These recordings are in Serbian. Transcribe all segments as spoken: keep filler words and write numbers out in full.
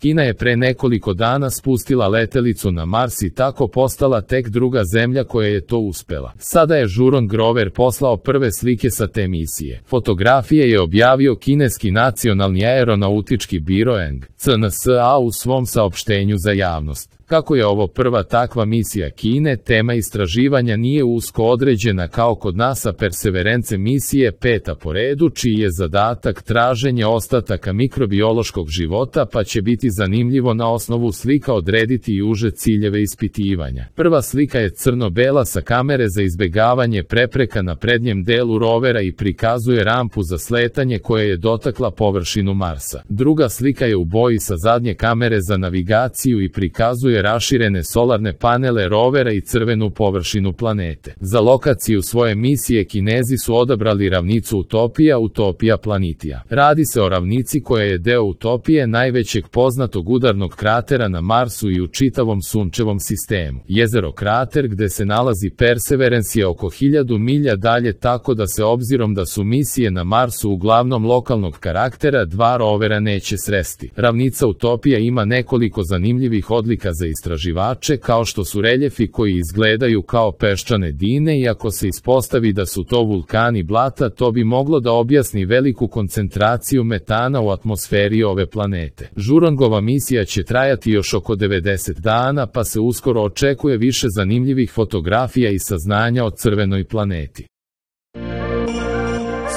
Kina je pre nekoliko dana spustila letelicu na Mars i tako postala tek druga zemlja koja je to uspela. Sada je Zhurong rover poslao prve slike sa te misije. Fotografije je objavio kineski nacionalni aeronautički biro Eng C N S A u svom saopštenju za javnost. Kako je ovo prva takva misija Kine, tema istraživanja nije usko određena kao kod NASA Perseverance misije peta po redu, čiji je zadatak traženje ostataka mikrobiološkog života, pa će biti zanimljivo na osnovu slika odrediti i uže ciljeve ispitivanja. Prva slika je crno-bela sa kamere za izbegavanje prepreka na prednjem delu rovera i prikazuje rampu za sletanje koja je dotakla površinu Marsa. Druga slika je u boji sa zadnje kamere za navigaciju i prikazuje raširene solarne panele rovera i crvenu površinu planete. Za lokaciju svoje misije Kinezi su odabrali ravnicu Utopija, Utopija Planetija. Radi se o ravnici koja je deo Utopije, najvećeg poznatog udarnog kratera na Marsu i u čitavom sunčevom sistemu. Jezero krater gde se nalazi Perseverance je oko hiljadu milja dalje, tako da se obzirom da su misije na Marsu uglavnom lokalnog karaktera, dva rovera neće sresti. Ravnica Utopija ima nekoliko zanimljivih odlika za istraživače, kao što su reljefi koji izgledaju kao peščane dine, i ako se ispostavi da su to vulkani blata, to bi moglo da objasni veliku koncentraciju metana u atmosferi ove planete. Zhurongova misija će trajati još oko devedeset dana, pa se uskoro očekuje više zanimljivih fotografija i saznanja o crvenoj planeti.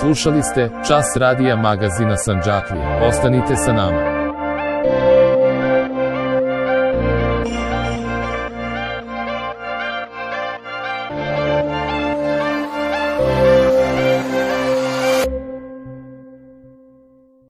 Slušali ste Čas radija magazina Sandžaklija. Ostanite sa nama.